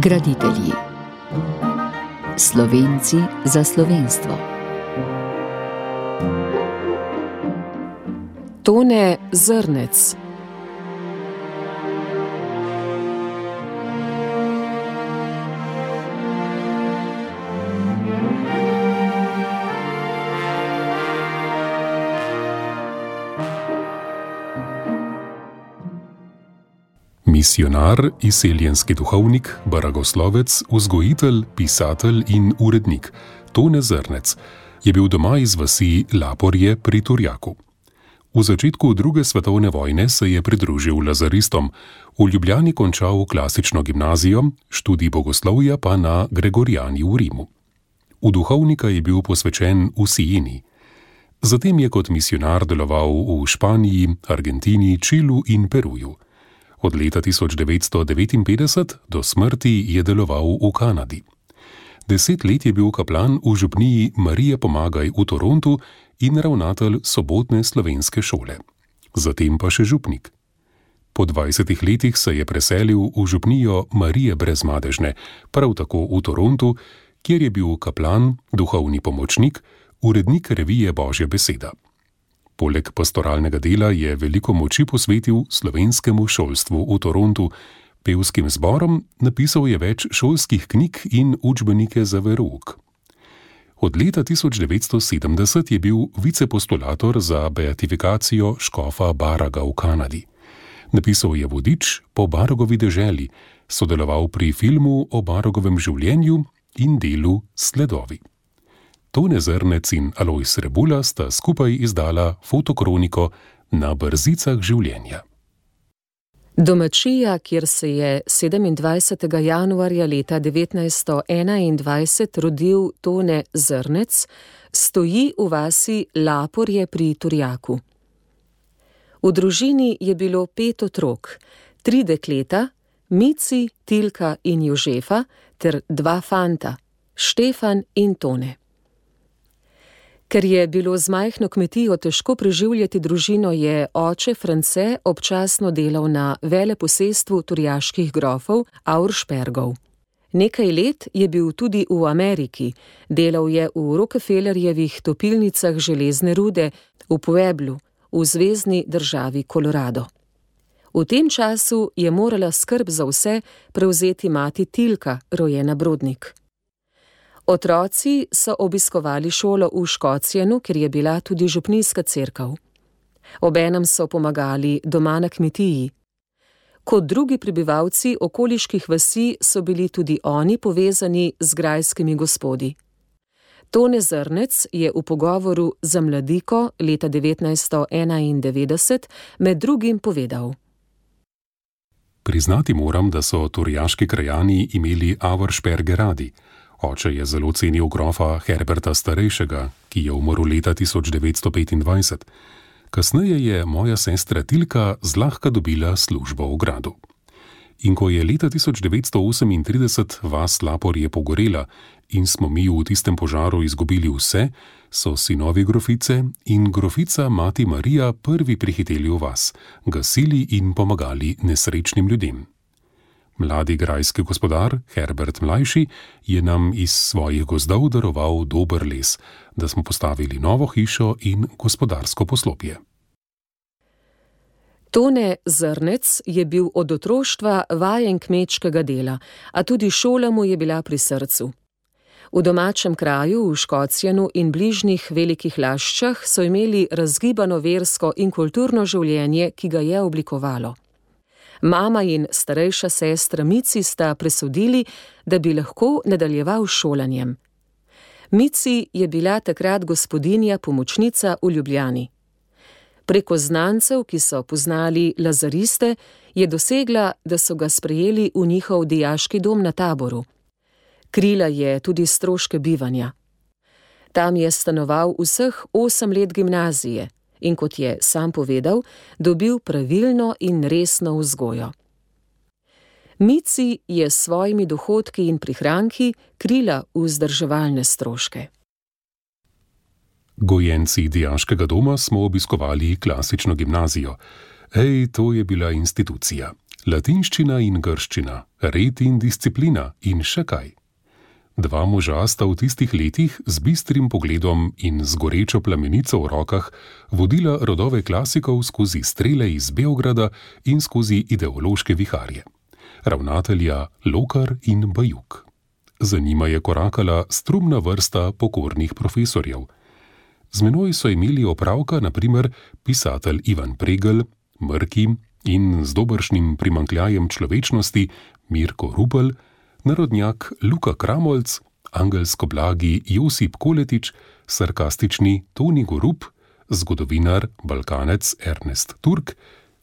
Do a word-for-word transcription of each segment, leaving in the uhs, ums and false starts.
Graditelji. Slovenci za slovenstvo. Tone Zrnec. Misionar, izseljenski duhovnik, baragoslovec, vzgojitelj, pisatelj in urednik Tone Zrnec je bil doma iz vasi Laporje pri Turjaku. V začetku druge svetovne vojne se je pridružil lazaristom, v Ljubljani končal klasično gimnazijo, študij bogoslovja pa na Gregorijani v Rimu. V duhovnika je bil posvečen v Sijeni. Zatem je kot misionar deloval v Španiji, Argentini, Čilu in Peruju. Od leta tisoč devetsto devetinpetdeset do smrti je deloval v Kanadi. Deset let je bil kaplan v župniji Marije Pomagaj v Torontu in ravnatelj sobotne slovenske šole. Zatem pa še župnik. Po dvajsetih letih se je preselil v župnijo Marije Brezmadežne, prav tako v Torontu, kjer je bil kaplan, duhovni pomočnik, urednik revije Božja beseda. Poleg pastoralnega dela je veliko moči posvetil slovenskemu šolstvu v Torontu, pevskim zborom, napisal je več šolskih knjig in učbenike za verouk. Od leta tisoč devetsto sedemdeset je bil vicepostulator za beatifikacijo škofa Baraga v Kanadi. Napisal je vodič po Baragovi deželi, sodeloval pri filmu o Baragovem življenju in delu Sledovi. Tone Zrnec in Alojz Rebula sta skupaj izdala fotokroniko Na brzicah življenja. Domačija, kjer se je sedemindvajsetega januarja leta devetnajststo enaindvajset rodil Tone Zrnec, stoji v vasi Laporje pri Turjaku. V družini je bilo pet otrok, tri dekleta, Mici, Tilka in Jožefa, ter dva fanta, Štefan in Tone. Ker je bilo z majhno kmetijo težko preživljati družino, je oče France občasno delal na veleposestvu turjaških grofov Auerspergov. Nekaj let je bil tudi v Ameriki, delal je v Rockefellerjevih topilnicah železne rude v Pueblu, v zvezni državi Colorado. V tem času je morala skrb za vse prevzeti mati Tilka, rojena Brodnik. Otroci so obiskovali šolo v Škocjanu, ker je bila tudi župnijska cerkev. Obenem so pomagali doma na kmetiji. Kot drugi prebivalci okoliških vasi so bili tudi oni povezani z grajskimi gospodi. Tone Zrnec je v pogovoru za Mladiko leta devetnajststo enaindevetdeset med drugim povedal: Priznati moram, da so turjaški krajani imeli Auersperge radi. Oče je zelo cenil grofa Herberta Starejšega, ki je umrl leta tisoč devetsto petindvajset. Kasneje je moja sestra Tilka zlahka dobila službo v gradu. In ko je leta tisoč devetsto osemintrideset vas Laporje pogorela in smo mi v tistem požaru izgubili vse, so sinovi grofice in grofica mati Marija prvi prihiteli v vas, gasili in pomagali nesrečnim ljudem. Mladi grajski gospodar, Herbert Mlajši, je nam iz svojih gozdov daroval dober les, da smo postavili novo hišo in gospodarsko poslopje. Tone Zrnec je bil od otroštva vajen kmečkega dela, a tudi šola mu je bila pri srcu. V domačem kraju, v Škocjanu in bližnjih Velikih Laščah so imeli razgibano versko in kulturno življenje, ki ga je oblikovalo. Mama in starejša sestra Mici sta presodili, da bi lahko nadaljeval s šolanjem. Mici je bila takrat gospodinja pomočnica v Ljubljani. Preko znancev, ki so poznali lazariste, je dosegla, da so ga sprejeli v njihov dijaški dom na Taboru. Krila je tudi stroške bivanja. Tam je stanoval vseh osem let gimnazije in, kot je sam povedal, dobil pravilno in resno vzgojo. Mici je s svojimi dohodki in prihranki krila vzdrževalne stroške. Gojenci dijaškega doma smo obiskovali klasično gimnazijo. Ej, to je bila institucija. Latinščina in grščina, red in disciplina in še kaj. Dva moža sta v tistih letih z bistrim pogledom in z gorečo plamenico v rokah vodila rodove klasikov skozi strele iz Beograda in skozi ideološke viharje. Ravnatelja Lokar in Bajuk. Za njima je korakala strumna vrsta pokornih profesorjev. Z menoj so imeli opravka na primer pisatelj Ivan Pregl, Mrki in z dobršnim primanjkljajem človečnosti Mirko Rupel, narodnjak Luka Kramolc, angelsko blagi Josip Koletič, sarkastični Toni Gorup, zgodovinar Balkanec Ernest Turk,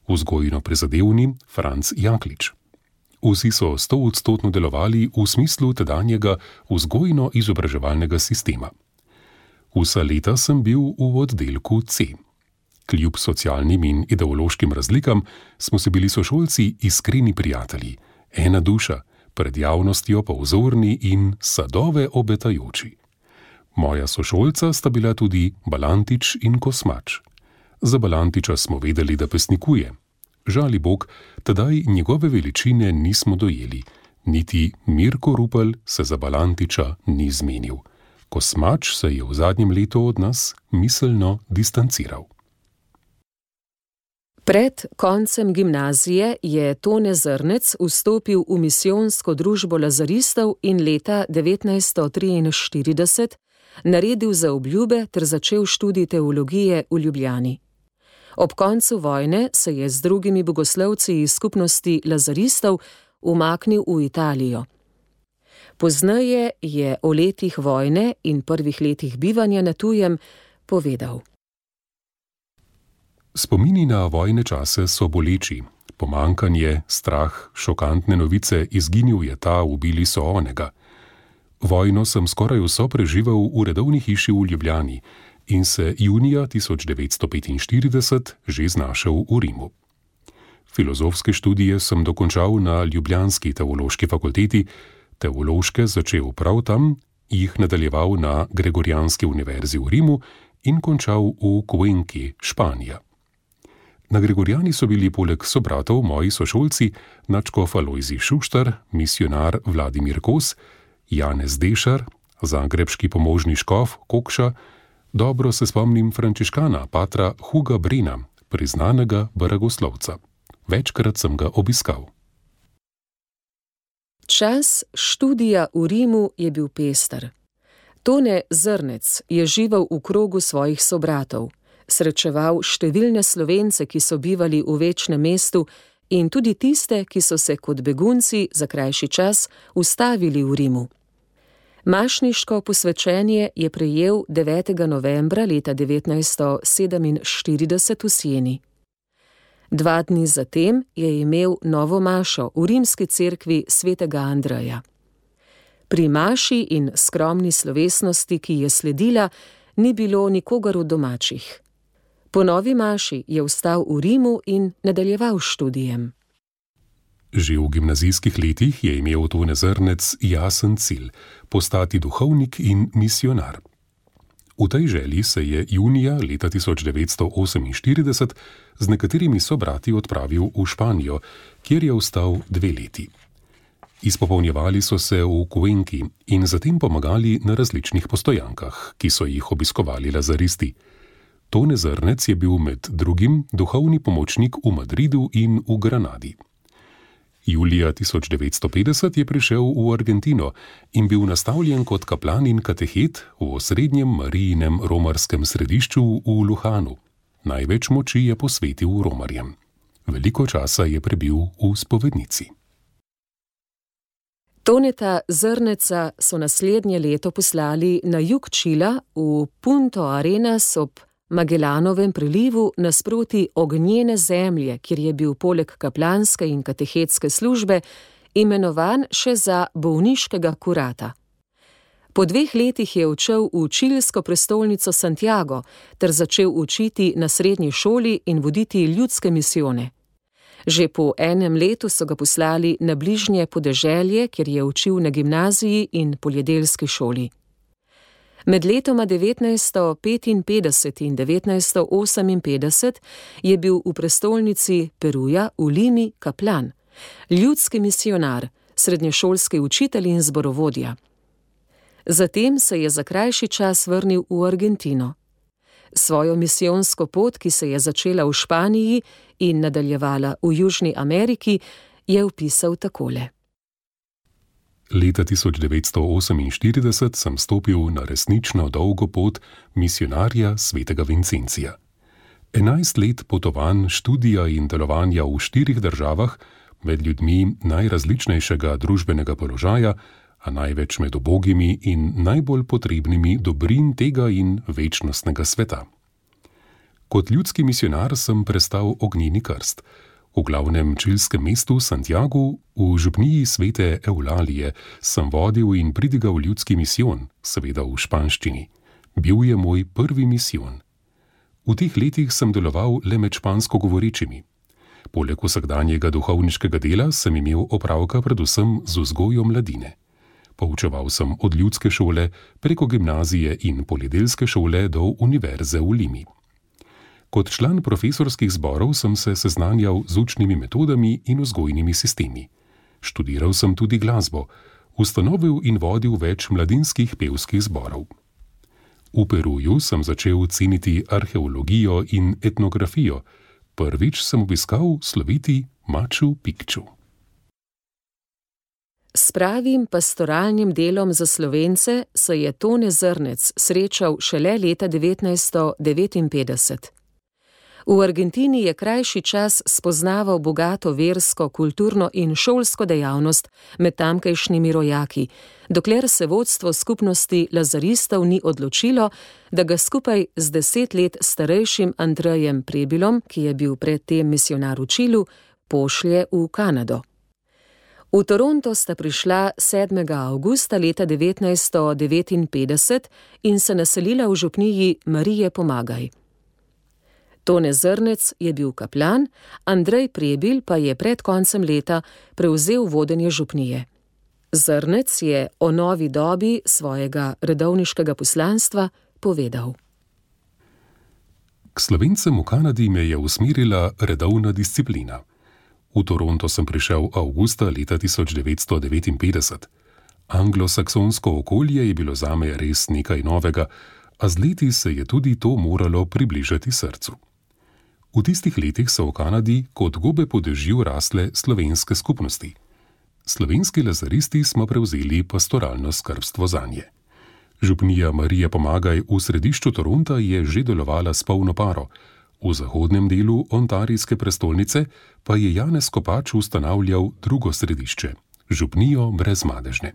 vzgojno prizadevni Franc Jaklič. Vsi so stoodstotno delovali v smislu tedanjega vzgojno-izobraževalnega sistema. Vsa leta sem bil v oddelku C. Kljub socialnim in ideološkim razlikam smo se bili sošolci iskreni prijatelji, ena duša, pred javnostjo pa vzorni in sadove obetajoči. Moja sošolca sta bila tudi Balantič in Kosmač. Za Balantiča smo vedeli, da pesnikuje. Žali Bog, tedaj njegove veličine nismo dojeli, niti Mirko Rupel se za Balantiča ni zmenil. Kosmač se je v zadnjem letu od nas miselno distanciral. Pred koncem gimnazije je Tone Zrnec vstopil v misijonsko družbo lazaristov in leta devetnajststo triinštirideset naredil zaobljube ter začel študij teologije v Ljubljani. Ob koncu vojne se je z drugimi bogoslovci iz skupnosti lazaristov umaknil v Italijo. Pozneje je o letih vojne in prvih letih bivanja na tujem povedal. Spomini na vojne čase so boleči. Pomankanje, strah, šokantne novice, izginil je ta, ubili so onega. Vojno sem skoraj vso preživel v redovni hiši v Ljubljani in se junija tisoč devetsto petinštirideset že znašel v Rimu. Filozofske študije sem dokončal na ljubljanski teološki fakulteti, teološke začel prav tam, jih nadaljeval na Gregorijanski univerzi v Rimu in končal v Cuenki, Španija. Na Gregorijani so bili poleg sobratov moji sošolci nadškof Alojzij Šuštar, misijonar Vladimir Kos, Janez Dešar, zagrebški pomožni škof Kokša, dobro se spomnim frančiškana patra Huga Brena, priznanega baragoslovca. Večkrat sem ga obiskal. Čas študija v Rimu je bil pester. Tone Zrnec je živel v krogu svojih sobratov, srečeval številne Slovence, ki so bivali v večnem mestu, in tudi tiste, ki so se kot begunci za krajši čas ustavili v Rimu. Mašniško posvečenje je prejel devetega novembra leta devetnajststo sedeminštirideset v Sieni. Dva dni zatem je imel novo mašo v rimski cerkvi svetega Andreja. Pri maši in skromni slovesnosti, ki je sledila, ni bilo nikogar od domačih. Po novi maši je vstal v Rimu in nadaljeval študijem. Že v gimnazijskih letih je imel Tone Zrnec jasen cilj – postati duhovnik in misijonar. V tej želji se je junija leta tisoč devetsto oseminštirideset z nekaterimi sobrati odpravil v Španijo, kjer je ostal dve leti. Izpopolnjevali so se v Cuenki in zatem pomagali na različnih postojankah, ki so jih obiskovali lazaristi. Tone Zrnec je bil med drugim duhovni pomočnik v Madridu in v Granadi. Julija tisoč devetsto petdeset je prišel v Argentino in bil nastavljen kot kaplan in katehet v osrednjem Marijinem romarskem središču v Luhanu. Največ moči je posvetil romarjem. Veliko časa je prebil v spovednici. Toneta Zrneca so naslednje leto poslali na jug Čila v Punto Arenas ob Magellanovem prelivu nasproti ognjene zemlje, kjer je bil poleg kaplanske in katehetske službe imenovan še za bolniškega kurata. Po dveh letih je odšel v čilsko prestolnico Santiago ter začel učiti na srednji šoli in voditi ljudske misijone. Že po enem letu so ga poslali na bližnje podeželje, kjer je učil na gimnaziji in poljedelski šoli. Med letoma devetnajststo petinpetdeset in devetnajststo oseminpetdeset je bil v prestolnici Peruja v Limi kaplan, ljudski misionar, srednješolski učitelj in zborovodja. Zatem se je za krajši čas vrnil v Argentino. Svojo misijonsko pot, ki se je začela v Španiji in nadaljevala v Južni Ameriki, je opisal takole. Leta tisoč devetsto oseminštirideset sem stopil na resnično dolgo pot misionarja svetega Vincencija. Enajst let potovanj, študija in delovanja v štirih državah, med ljudmi najrazličnejšega družbenega položaja, a največ med ubogimi in najbolj potrebnimi dobrin tega in večnostnega sveta. Kot ljudski misionar sem prestal ognjeni krst. V glavnem čilskem mestu Santiagu, v župniji svete Eulalije, sem vodil in pridigal ljudski misijon, seveda v španščini. Bil je moj prvi misijon. V teh letih sem deloval le med špansko govorečimi. Poleg vsakdanjega duhovniškega dela sem imel opravka predvsem z vzgojo mladine. Poučeval sem od ljudske šole preko gimnazije in poljedelske šole do univerze v Limi. Kot član profesorskih zborov sem se seznanjal z učnimi metodami in vzgojnimi sistemi. Študiral sem tudi glasbo, ustanovil in vodil več mladinskih pevskih zborov. V Peruju sem začel ceniti arheologijo in etnografijo. Prvič sem obiskal sloviti Machu Picchu. S pravim pastoralnim delom za Slovence se je Tone Zrnec srečal šele leta devetnajststo devetinpetdeset. V Argentini je krajši čas spoznaval bogato versko, kulturno in šolsko dejavnost med tamkajšnjimi rojaki, dokler se vodstvo skupnosti lazaristov ni odločilo, da ga skupaj z deset let starejšim Andrejem Prebilom, ki je bil predtem misionar v Čilu, pošlje v Kanado. V Toronto sta prišla sedmega avgusta leta devetnajststo devetinpetdeset in se naselila v župniji Marije Pomagaj. Tone Zrnec je bil kaplan, Andrej Prebil pa je pred koncem leta prevzel vodenje župnije. Zrnec je o novi dobi svojega redovniškega poslanstva povedal. K Slovencem v Kanadi me je usmerila redovna disciplina. V Toronto sem prišel avgusta leta tisoč devetsto devetinpetdeset. Anglosaksonsko okolje je bilo zame res nekaj novega, a z leti se je tudi to moralo približati srcu. V tistih letih so v Kanadi kot gobe po dežju rasle slovenske skupnosti. Slovenski lazaristi smo prevzeli pastoralno skrbstvo zanje. Župnija Marije Pomagaj v središču Toronta je že delovala s polno paro. V zahodnem delu ontarijske prestolnice pa je Janez Kopač ustanavljal drugo središče, župnijo Brezmadežne.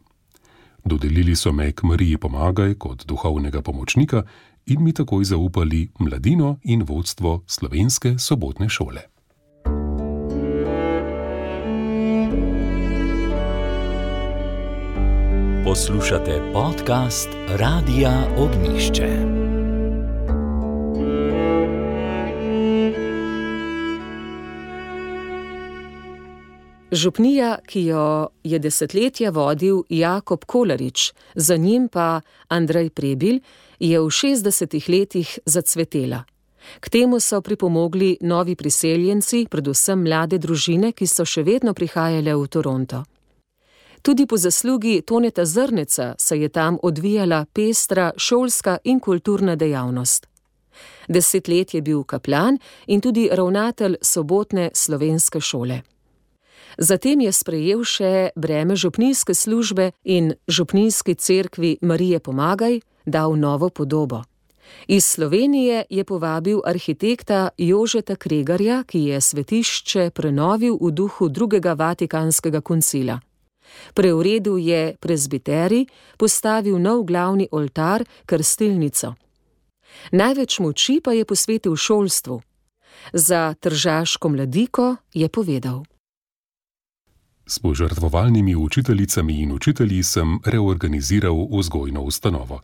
Dodelili so me k Mariji Pomagaj kot duhovnega pomočnika in mi takoj zaupali mladino in vodstvo slovenske sobotne šole. Poslušate podcast Radia Ognjišče. Župnija, ki jo je desetletja vodil Jakob Kolarič, za njim pa Andrej Prebil, je v šestdesetih letih zacvetela. K temu so pripomogli novi priseljenci, predvsem mlade družine, ki so še vedno prihajale v Toronto. Tudi po zaslugi Toneta Zrneca se je tam odvijala pestra šolska in kulturna dejavnost. Deset let je bil kaplan in tudi ravnatelj sobotne slovenske šole. Zatem je sprejel še breme župnijske službe in župnijski cerkvi Marije Pomagaj dal novo podobo. Iz Slovenije je povabil arhitekta Jožeta Kregarja, ki je svetišče prenovil v duhu drugega vatikanskega koncila. Preuredil je prezbiterij, postavil nov glavni oltar, krstilnico. Največ moči pa je posvetil šolstvu. Za tržaško mladiko je povedal. S požrtvovalnimi učiteljicami in učitelji sem reorganiziral vzgojno ustanovo.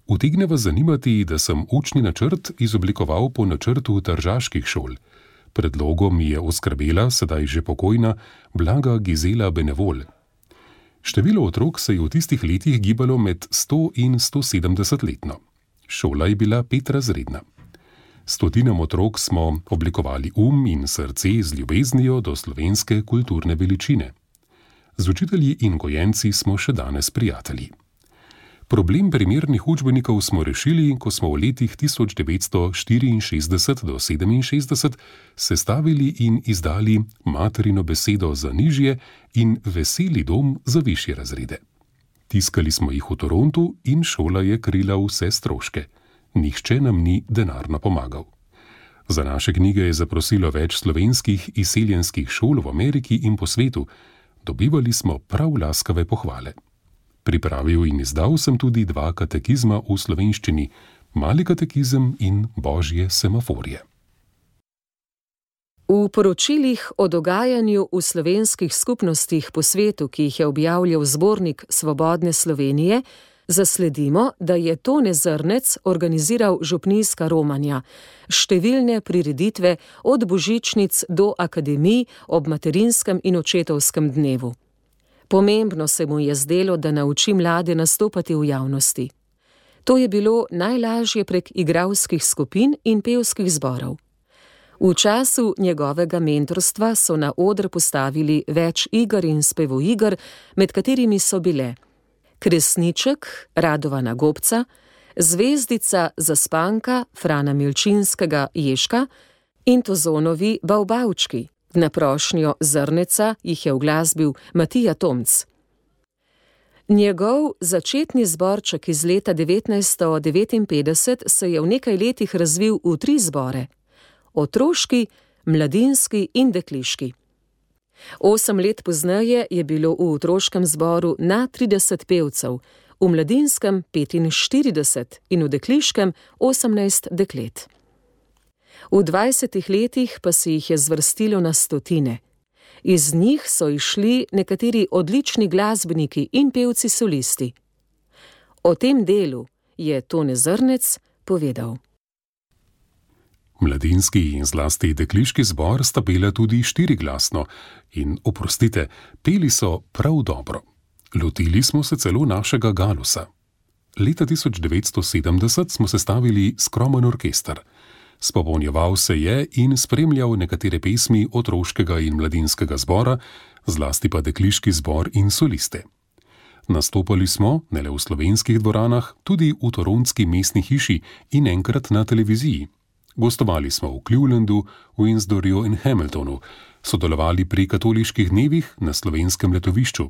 Utegne vas zanimati, da sem učni načrt izoblikoval po načrtu tržaških šol. Predlogom mi je oskrbela sedaj že pokojna Blaga Gizela Benevol. Število otrok se je v tistih letih gibalo med sto in sto sedemdeset letno. Šola je bila petrazredna. Stotinam otrok smo oblikovali um in srce z ljubeznijo do slovenske kulturne veličine. Z učitelji in gojenci smo še danes prijatelji. Problem primernih učbenikov smo rešili, ko smo v letih tisoč devetsto štiriinšestdeset do sedeminšestdeset sestavili in izdali materino besedo za nižje in veseli dom za višje razrede. Tiskali smo jih v Torontu in šola je krila vse stroške. Nihče nam ni denarno pomagal. Za naše knjige je zaprosilo več slovenskih izseljenskih šol v Ameriki in po svetu. Dobivali smo prav laskave pohvale. Pripravil in izdal sem tudi dva katekizma v slovenščini, Mali katekizem in Božje semaforje. V poročilih o dogajanju v slovenskih skupnostih po svetu, ki jih je objavljal zbornik Svobodne Slovenije, zasledimo, da je Tone Zrnec organiziral župnijska romanja, številne prireditve od božičnic do akademij ob materinskem in očetovskem dnevu. Pomembno se mu je zdelo, da nauči mlade nastopati v javnosti. To je bilo najlažje prek igralskih skupin in pevskih zborov. V času njegovega mentorstva so na oder postavili več iger in spevoiger, med katerimi so bile Kresniček Radovana Gobca, Zvezdica Zaspanka Frana Milčinskega Ježka in Tozonovi Bavbavčki. Na prošnjo Zrneca jih je uglasbil Matija Tomc. Njegov začetni zborček iz leta devetnajststo devetinpetdeset se je v nekaj letih razvil v tri zbore: otroški, mladinski in dekliški. Osem let pozneje je bilo v otroškem zboru na trideset pevcev, v mladinskem petinštirideset in v dekliškem osemnajst deklet. V dvajsetih letih pa se jih je zvrstilo na stotine. Iz njih so išli nekateri odlični glasbeniki in pevci solisti. O tem delu je Tone Zrnec povedal. Mladinski in zlasti dekliški zbor sta pela tudi štiriglasno in, oprostite, peli so prav dobro. Lotili smo se celo našega galusa. Leta tisoč devetsto sedemdeset smo sestavili skromen orkester. Spopolnjeval se je in spremljal nekatere pesmi otroškega in mladinskega zbora, zlasti pa dekliški zbor in soliste. Nastopali smo, ne le v slovenskih dvoranah, tudi v torontski mestni hiši in enkrat na televiziji. Gostovali smo v Clevelandu, Windsorju in Hamiltonu, sodelovali pri katoliških dnevih na slovenskem letovišču.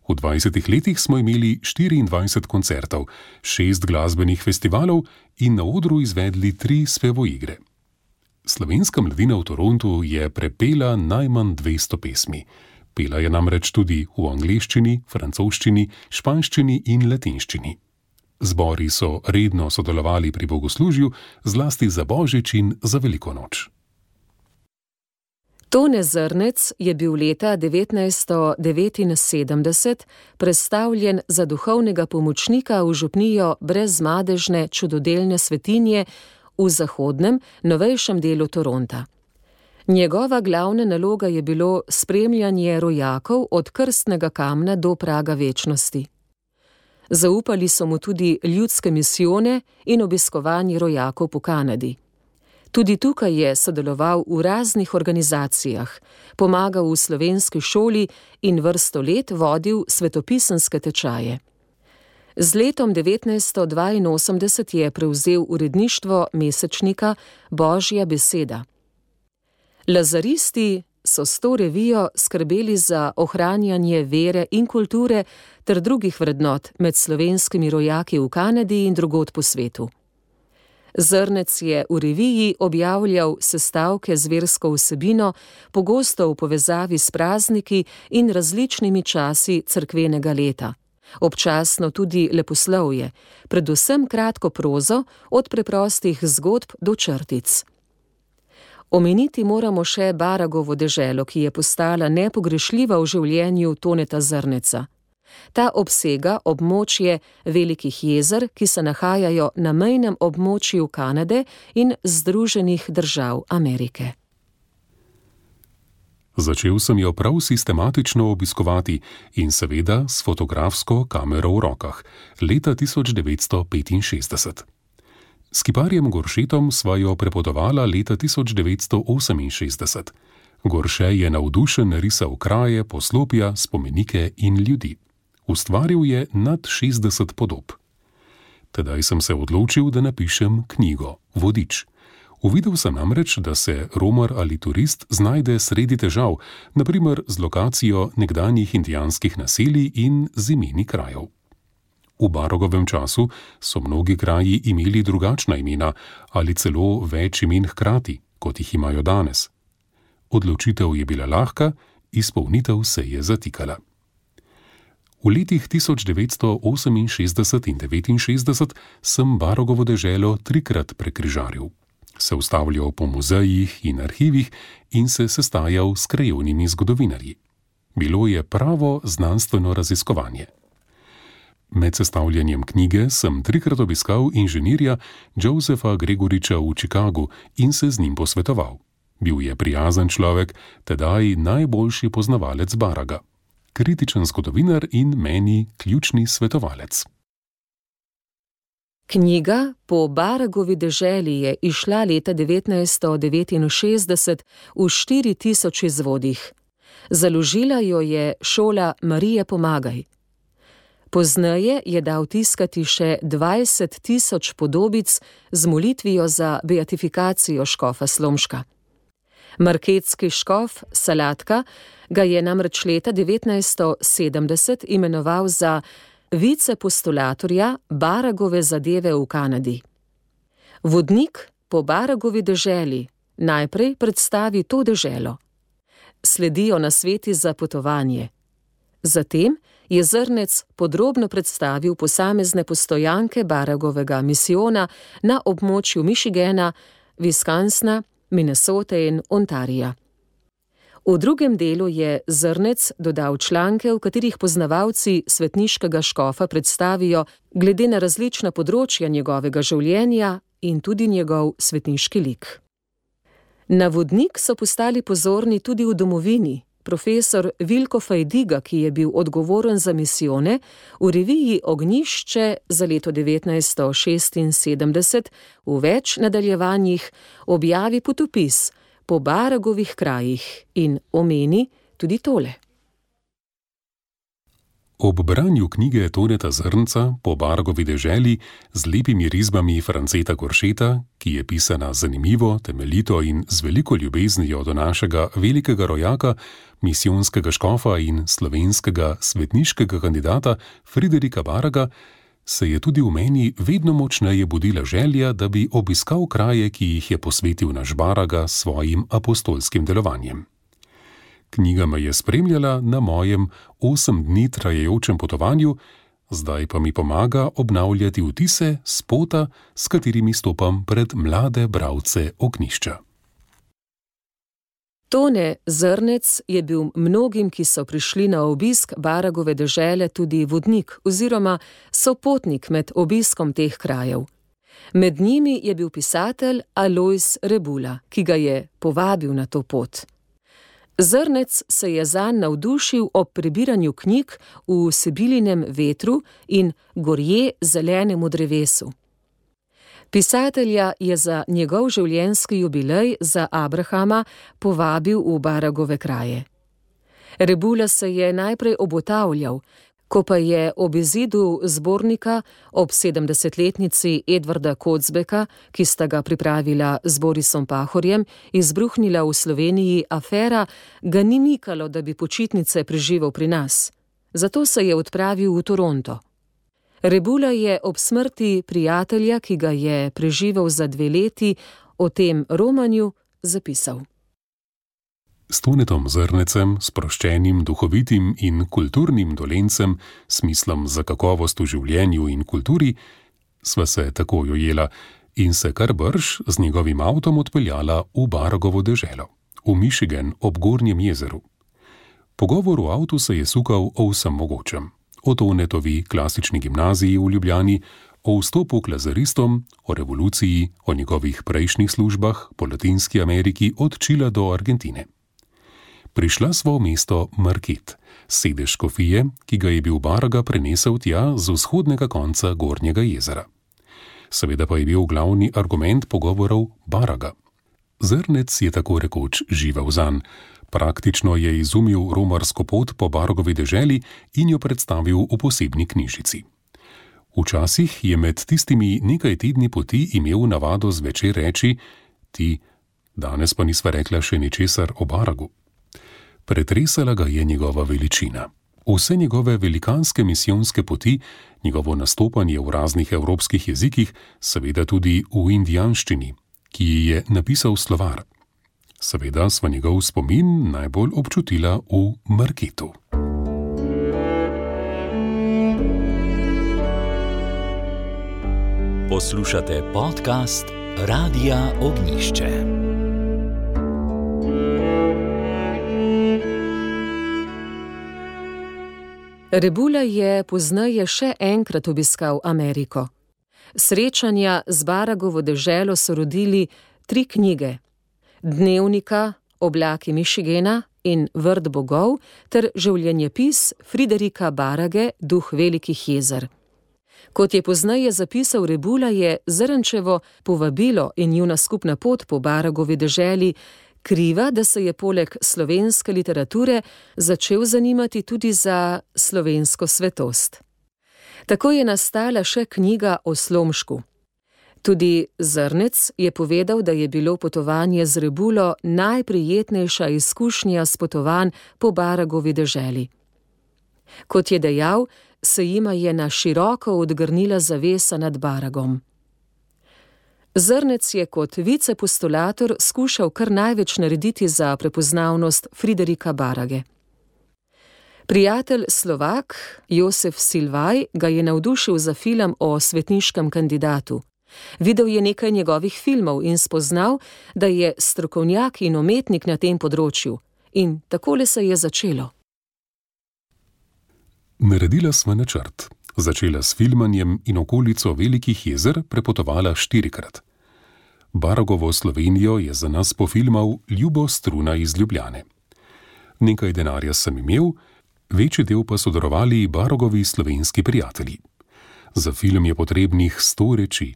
V dvajsetih letih smo imeli štiriindvajset koncertov, šest glasbenih festivalov in na odru izvedli tri spevoigre. Slovenska mladina v Torontu je prepela najmanj dvesto pesmi. Pela je namreč tudi v angleščini, francoščini, španščini in latinščini. Zbori so redno sodelovali pri bogoslužju, zlasti za Božič in za Veliko noč. Tone Zrnec je bil leta devetnajststo devetinsedemdeset prestavljen za duhovnega pomočnika v župnijo brezmadežne čudodelne svetinje v zahodnem, novejšem delu Toronta. Njegova glavna naloga je bilo spremljanje rojakov od krstnega kamna do praga večnosti. Zaupali so mu tudi ljudske misijone in obiskovanje rojakov po Kanadi. Tudi tukaj je sodeloval v raznih organizacijah, pomagal v slovenski šoli in vrsto let vodil svetopisanske tečaje. Z letom devetnajststo dvainosemdeset je prevzel uredništvo mesečnika Božja beseda. Lazaristi so s to revijo skrbeli za ohranjanje vere in kulture ter drugih vrednot med slovenskimi rojaki v Kanadi in drugod po svetu. Zrnec je v reviji objavljal sestavke z versko vsebino, pogosto v povezavi s prazniki in različnimi časi cerkvenega leta. Občasno tudi leposlovje, predvsem kratko prozo, od preprostih zgodb do črtic. Omeniti moramo še Baragovo deželo, ki je postala nepogrešljiva v življenju Toneta Zrneca. Ta obsega območje velikih jezer, ki se nahajajo na mejnem območju Kanade in Združenih držav Amerike. Začel sem jo prav sistematično obiskovati in seveda s fotografsko kamero v rokah, leta tisoč devetsto petinšestdeset. S kiparjem Goršetom sva jo prepotovala leta tisoč devetsto oseminšestdeset. Gorše je navdušen risal kraje, poslopja, spomenike in ljudi. Ustvaril je nad šestdeset podob. Tedaj sem se odločil, da napišem knjigo, vodič. Uvidel sem namreč, da se romar ali turist znajde sredi težav, na primer z lokacijo nekdanjih indijanskih naselij in z imeni krajev. V Baragovem času so mnogi kraji imeli drugačna imena ali celo več imen hkrati, kot jih imajo danes. Odločitev je bila lahka, izpolnitev se je zatikala. V letih tisoč devetsto oseminšestdeset in devetinšestdeset sem Baragovo deželo trikrat prekrižaril. Se ustavljal po muzejih in arhivih in se sestajal s krajevnimi zgodovinarji. Bilo je pravo znanstveno raziskovanje. Med sestavljanjem knjige sem trikrat obiskal inženirja Josepha Gregoriča v Chicagu in se z njim posvetoval. Bil je prijazen človek, tedaj najboljši poznavalec Baraga. Kritičen zgodovinar in meni ključni svetovalec. Knjiga Po Baragovi deželi je izšla leta devetnajststo devetinšestdeset v štiri tisoč izvodih. Založila jo je šola Marije Pomagaj. Pozneje je dal tiskati še dvajset tisoč podobic z molitvijo za beatifikacijo škofa Slomška. Marketski škof Salatka ga je namreč leta devetnajststo sedemdeset imenoval za vicepostulatorja Baragove zadeve v Kanadi. Vodnik Po Baragovi deželi najprej predstavi to deželo. Sledijo nasveti za potovanje. Zatem je Zrnec podrobno predstavil posamezne postojanke Baragovega misijona na območju Michigana, Wisconsina, Minnesote in Ontarija. V drugem delu je Zrnec dodal članke, v katerih poznavalci svetniškega škofa predstavijo glede na različna področja njegovega življenja in tudi njegov svetniški lik. Na vodnik so postali pozorni tudi v domovini. Profesor Vilko Fajdiga, ki je bil odgovoren za misijone, v reviji Ognjišče za leto devetnajststo šestinsedemdeset v več nadaljevanjih objavi potopis po Baragovih krajih in omeni tudi tole. Ob branju knjige Toneta Zrnca Po Baragovi deželi z lepimi risbami Franceta Goršeta, ki je pisana zanimivo, temeljito in z veliko ljubeznijo do našega velikega rojaka, misijonskega škofa in slovenskega svetniškega kandidata Friderika Baraga, se je tudi v meni vedno močneje budila želja, da bi obiskal kraje, ki jih je posvetil naš Baraga s svojim apostolskim delovanjem. Knjiga me je spremljala na mojem osem dni trajajočem potovanju, zdaj pa mi pomaga obnavljati vtise s pota, s katerimi stopam pred mlade bralce Ognjišča. Tone Zrnec je bil mnogim, ki so prišli na obisk Baragove dežele, tudi vodnik oziroma sopotnik med obiskom teh krajev. Med njimi je bil pisatelj Alojz Rebula, ki ga je povabil na to pot. Zrnec se je zanj navdušil ob prebiranju knjig v Sibilinem vetru in Gorje zelenemu drevesu. Pisatelja je za njegov življenjski jubilej za Abrahama povabil v Baragove kraje. Rebula se je najprej obotavljal, ko pa je ob izidu zbornika ob sedemdesetletnici Edvarda Kocbeka, ki sta ga pripravila z Borisom Pahorjem, izbruhnila v Sloveniji afera, ga ni mikalo, da bi počitnice preživel pri nas. Zato se je odpravil v Toronto. Rebula je ob smrti prijatelja, ki ga je preživel za dve leti, o tem romanju zapisal. S Tonetom Zrnecem, sproščenim, duhovitim in kulturnim dolencem, smislom za kakovost v življenju in kulturi, sva se takoj ujela in se kar brž z njegovim avtom odpeljala v Baragovo deželo, v Michigan ob Gornjem jezeru. Pogovor v avtu se je sukal o vsem mogočem. O Tonetovi klasični gimnaziji v Ljubljani, o vstopu k lazaristom, o revoluciji, o njegovih prejšnjih službah po Latinski Ameriki od Čila do Argentine. Prišla sva v mesto Market, sedež škofije, ki ga je bil Baraga prenesel tja z vzhodnega konca Gornjega jezera. seveda pa je bil glavni argument pogovorov Baraga. Zrnec je tako rekoč živel zanj. Praktično je izumil romarsko pot po Baragovi deželi in jo predstavil v posebni knjižici. Včasih je med tistimi nekaj tedni poti imel navado zvečer reči: ti, danes pa nisva rekla še ničesar o Baragu. Pretresala ga je njegova veličina. Vse njegove velikanske misijonske poti, njegovo nastopanje v raznih evropskih jezikih, seveda tudi v indijanščini, ki ji je napisal slovar. Seveda sva njegov spomin najbolj občutila v Marketu. Poslušate podcast Radia Ognišče. Rebula je pozneje še enkrat obiskal Ameriko. Srečanja z Baragovo deželo so rodili tri knjige: Dnevnika, Oblaki Michigana in Vrt bogov ter življenjepis Friderika Barage, Duh velikih jezer. Kot je pozneje zapisal Rebula, je Zrnčevo povabilo in njuna skupna pot po Baragovi deželi kriva, da se je poleg slovenske literature začel zanimati tudi za slovensko svetost. Tako je nastala še knjiga o Slomšku. Tudi Zrnec je povedal, da je bilo potovanje z Rebulo najprijetnejša izkušnja s potovanj po Baragovi deželi. Kot je dejal, se jima je na široko odgrnila zavesa nad Baragom. Zrnec je kot vicepostulator skušal kar največ narediti za prepoznavnost Friderika Barage. Prijatelj Slovak Josef Silvaj ga je navdušil za film o svetniškem kandidatu. Videl je nekaj njegovih filmov in spoznal, da je strokovnjak in umetnik na tem področju. In takole se je začelo. Naredila sva načrt. Začela s filmanjem in okolico velikih jezer prepotovala štirikrat. Baragovo Slovenijo je za nas pofilmal Ljubo Struna iz Ljubljane. Nekaj denarja sem imel, večji del pa so darovali Baragovi slovenski prijatelji. Za film je potrebnih sto reči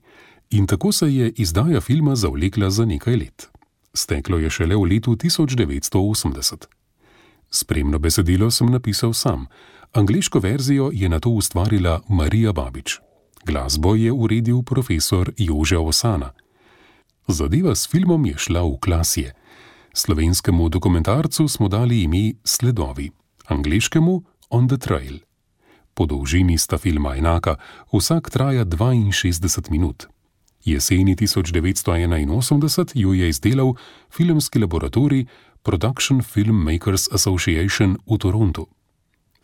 in tako se je izdaja filma zavlekla za nekaj let. Steklo je šele v letu tisoč devetsto osemdeset. Spremno besedilo sem napisal sam. Angleško verzijo je nato ustvarila Marija Babič. Glasbo je uredil profesor Jože Osana. Zadeva s filmom je šla v klasje. Slovenskemu dokumentarcu smo dali ime Sledovi, angleškemu On the Trail. Po dolžini sta filma enaka, vsak traja dvainšestdeset minut. Jeseni tisoč devetsto enainosemdeset jo je izdelal filmski laboratorij Production Film Makers Association v Torontu.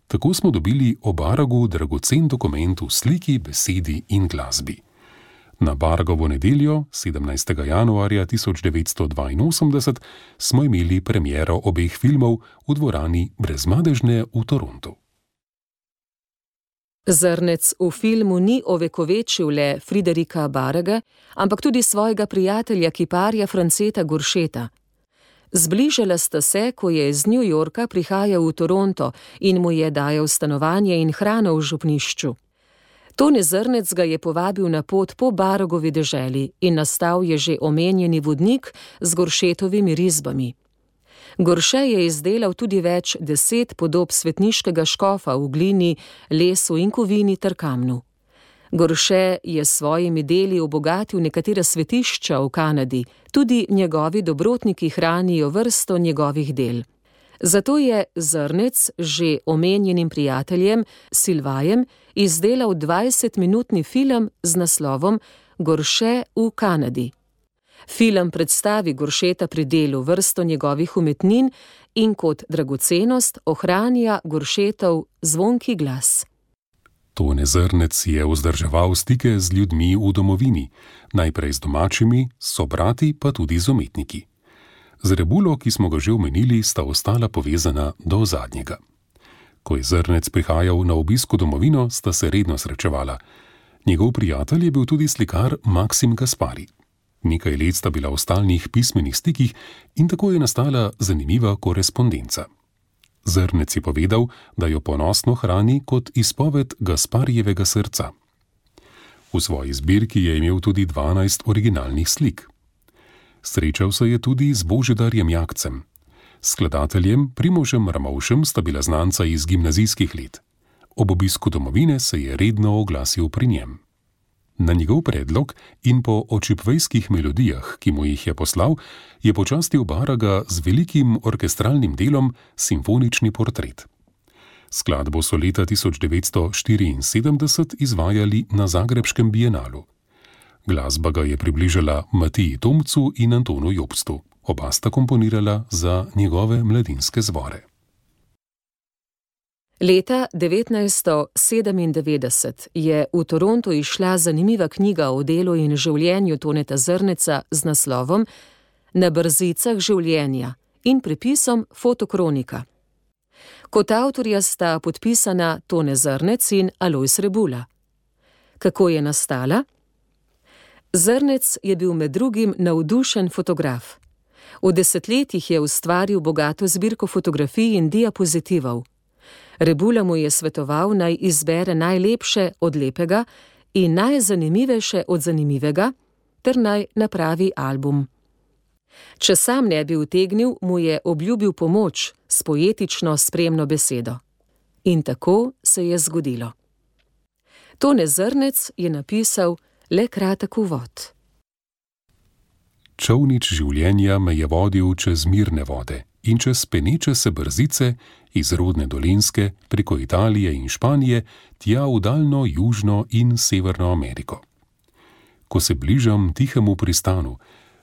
Tako smo dobili o Baragu dragocen dokument v sliki, besedi in glasbi. Na Baragovo nedeljo, sedemnajstega januarja tisoč devetsto dvainosemdeset, smo imeli premiero obeh filmov v dvorani Brezmadežne v Torontu. Zrnec v filmu ni ovekovečil le Friderika Barage, ampak tudi svojega prijatelja kiparja Franceta Goršeta. Zbližala sta se, ko je iz New Yorka prihajal v Toronto in mu je dajal stanovanje in hrano v župnišču. Tone Zrnec ga je povabil na pot po Baragovi deželi in nastal je že omenjeni vodnik z Goršetovimi risbami. Gorše je izdelal tudi več deset podob svetniškega škofa v glini, lesu in kovini ter kamnu. Gorše je s svojimi deli obogatil nekatera svetišča v Kanadi, tudi njegovi dobrotniki hranijo vrsto njegovih del. Zato je Zrnec že omenjenim prijateljem Silvajem izdelal dvajsetminutni film z naslovom Gorše v Kanadi. Film predstavi Goršeta pri delu, vrsto njegovih umetnin in kot dragocenost ohranja Goršetov zvonki glas. Tone Zrnec je vzdrževal stike z ljudmi v domovini, najprej z domačimi, sobrati pa tudi z umetniki. Z Rebulo, ki smo ga že omenili, sta ostala povezana do zadnjega. Ko je Zrnec prihajal na obisk v domovino, sta se redno srečevala. Njegov prijatelj je bil tudi slikar Maksim Gaspari. Nekaj let sta bila v stalnih pismenih stikih in tako je nastala zanimiva korespondenca. Zrnec je povedal, da jo ponosno hrani kot izpoved Gasparijevega srca. V V svoji zbirki je imel tudi dvanajst originalnih slik. Srečal se je tudi z Božidarjem Jakcem. S skladateljem Primožem Ramovšem sta bila znanca iz gimnazijskih let. Ob obisku domovine se je redno oglasil pri njem. Na njegov predlog in po očipvejskih melodijah, ki mu jih je poslal, je počastil Baraga z velikim orkestralnim delom Simfonični portret. Skladbo so leta tisoč devetsto štiriinsedemdeset izvajali na Zagrebškem bienalu. Glasba ga je približala Matiji Tomcu in Antonu Jobstu. Oba sta komponirala za njegove mladinske zvore. Leta devetnajststo sedemindevetdeset je v Torontu izšla zanimiva knjiga o delu in življenju Toneta Zrneca z naslovom Na brzicah življenja in prepisom Fotokronika. Kot avtorja sta podpisana Tone Zrnec in Alojz Rebula. Kako je nastala? Zrnec je bil med drugim navdušen fotograf. V desetletjih je ustvaril bogato zbirko fotografij in diapozitivov. Rebula mu je svetoval, naj izbere najlepše od lepega in najzanimivejše od zanimivega, ter naj napravi album. Če sam ne bi utegnil, mu je obljubil pomoč s poetično spremno besedo. In tako se je zgodilo. Tone Zrnec je napisal le kratek uvod. Čolnič življenja me je vodil čez mirne vode in čez peneče se brzice iz rodne Dolenjske preko Italije in Španije tja v daljno Južno in Severno Ameriko. Ko se bližam tihemu pristanu,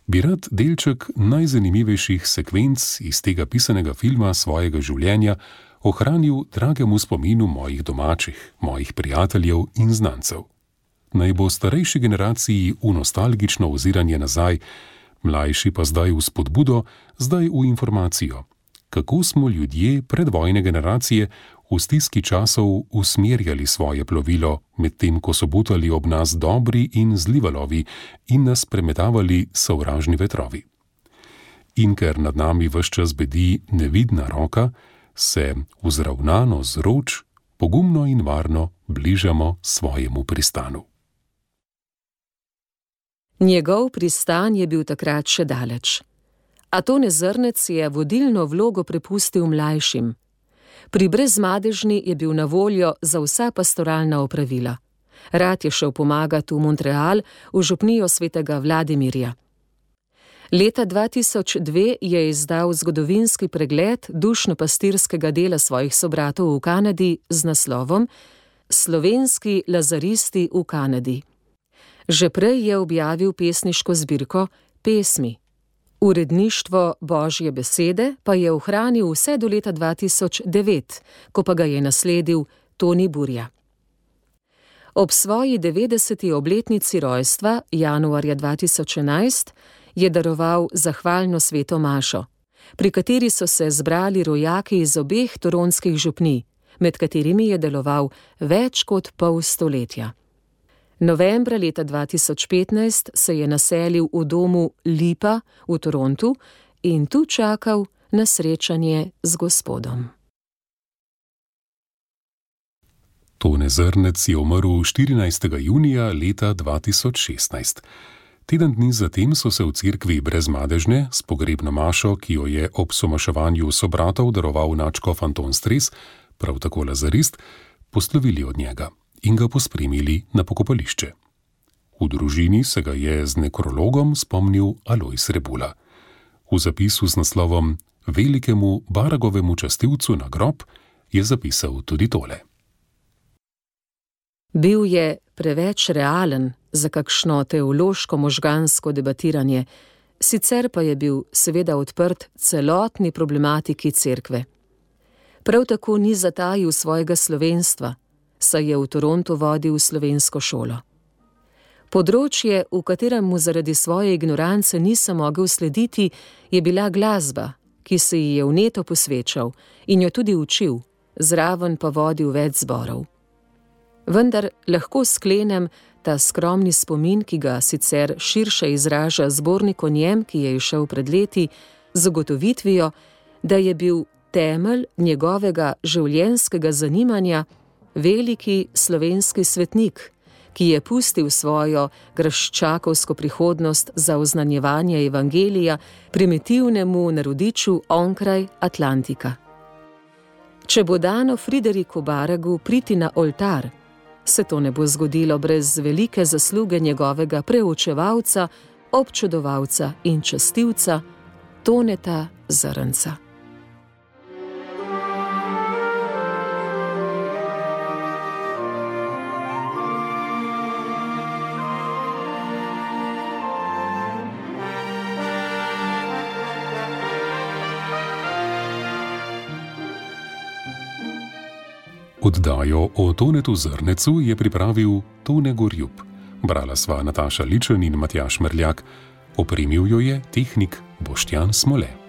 bi rad delček najzanimivejših sekvenc iz tega pisanega filma svojega življenja ohranil dragemu spominu mojih domačih, mojih prijateljev in znancev. Naj bo starejši generaciji v nostalgično oziranje nazaj, mlajši pa zdaj v spodbudo, zdaj v informacijo. Kako smo ljudje predvojne generacije v stiski časov usmerjali svoje plovilo, medtem ko so butali ob nas dobri in zli valovi in nas premetavali sovražni vetrovi. In ker nad nami ves čas bedi nevidna roka, se vzravnano z roč, pogumno in varno bližamo svojemu pristanu. Njegov pristan je bil takrat še daleč. A Tone Zrnec je vodilno vlogo prepustil mlajšim. Pri Brezmadežni je bil na voljo za vsa pastoralna opravila. Rad je šel pomagati v Montreal, v župnijo svetega Vladimirja. Leta dva tisoč dve je izdal zgodovinski pregled dušno-pastirskega dela svojih sobratov v Kanadi z naslovom Slovenski lazaristi v Kanadi. Že prej je objavil pesniško zbirko Pesmi. Uredništvo Božje besede pa je ohranil vse do leta dva tisoč devet, ko pa ga je nasledil Toni Burja. Ob svoji devetdeseti obletnici rojstva, januarja dva tisoč enajst, je daroval zahvalno sveto mašo, pri kateri so se zbrali rojaki iz obeh toronskih župnij, med katerimi je deloval več kot pol stoletja. Novembra leta dva tisoč petnajst se je naselil v domu Lipa v Torontu in tu čakal na srečanje z Gospodom. Tone Zrnec je umrl štirinajstega junija leta dva tisoč šestnajst. Teden dni zatem so se v cerkvi Brezmadežne s pogrebno mašo, ki jo je ob somaševanju sobratov daroval nadškof Anton Stres, prav tako lazarist, poslovili od njega in ga pospremili na pokopališče. V družini se ga je z nekrologom spomnil Alojz Rebula. V zapisu z naslovom Velikemu Baragovemu častilcu na grob je zapisal tudi tole. Bil je preveč realen za kakšno teološko-možgansko debatiranje, sicer pa je bil seveda odprt celotni problematiki cerkve. Prav tako ni zatajil svojega slovenstva, saj je v Torontu vodil slovensko šolo. Področje, v katerem mu zaradi svoje ignorance nisem mogel slediti, je bila glasba, ki se ji je vneto posvečal in jo tudi učil, zraven pa vodil več zborov. Vendar lahko sklenem ta skromni spomin, ki ga sicer širše izraža zbornik o njem, ki je izšel pred leti, z ugotovitvijo, da je bil temelj njegovega življenjskega zanimanja veliki slovenski svetnik, ki je pustil svojo graščakovsko prihodnost za oznanjevanje evangelija primitivnemu narodiču onkraj Atlantika. Če bo dano Frideriku Baragu priti na oltar, se to ne bo zgodilo brez velike zasluge njegovega preučevalca, občudovalca in častilca Toneta Zrnca. Oddajo o Tonetu Zrnecu je pripravil Tone Gorjup. Brala sva Nataša Ličen in Matjaž Mrljak. Opremil jo je tehnik Boštjan Smole.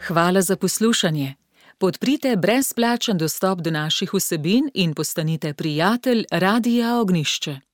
Hvala za poslušanje. Podprite brezplačen dostop do naših vsebin in postanite prijatelj Radia Ognjišče.